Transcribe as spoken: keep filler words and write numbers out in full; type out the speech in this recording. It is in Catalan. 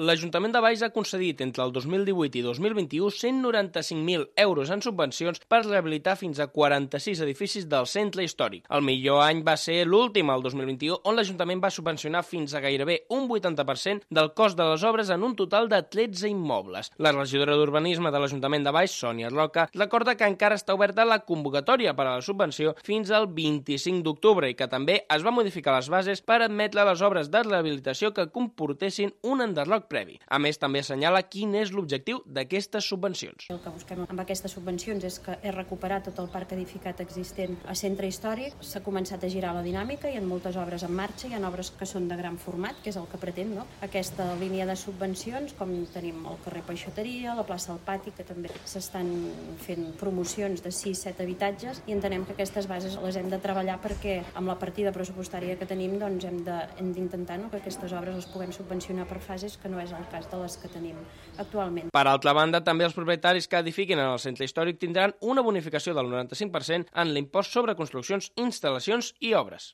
L'Ajuntament de Valls ha concedit entre el dos mil divuit i dos mil vint-i-u cent noranta-cinc mil euros en subvencions per rehabilitar fins a quaranta-sis edificis del centre històric. El millor any va ser l'últim, el dos mil vint-i-u, on l'Ajuntament va subvencionar fins a gairebé un vuitanta per cent del cost de les obres en un total de tretze immobles. La regidora d'Urbanisme de l'Ajuntament de Valls, Sònia Roca, recorda que encara està oberta la convocatòria per a la subvenció fins al vint-i-cinc d'octubre i que també es va modificar les bases per admetre les obres de rehabilitació que comportessin un enderroc previ. A més, també assenyala quin és l'objectiu d'aquestes subvencions. El que busquem amb aquestes subvencions és que és recuperar tot el parc edificat existent a centre històric. S'ha començat a girar la dinàmica, hi ha moltes obres en marxa, hi ha obres que són de gran format, que és el que pretén, no? Aquesta línia de subvencions, com tenim el carrer Peixateria, la plaça del Pati, que també s'estan fent promocions de sis set habitatges, i entenem que aquestes bases les hem de treballar perquè amb la partida pressupostària que tenim doncs hem d'intentar no, que aquestes obres les puguem subvencionar per fases, que no és el cas de les que tenim actualment. Per altra banda, també els propietaris que edifiquin en el centre històric tindran una bonificació del noranta-cinc per cent en l'impost sobre construccions, instal·lacions i obres.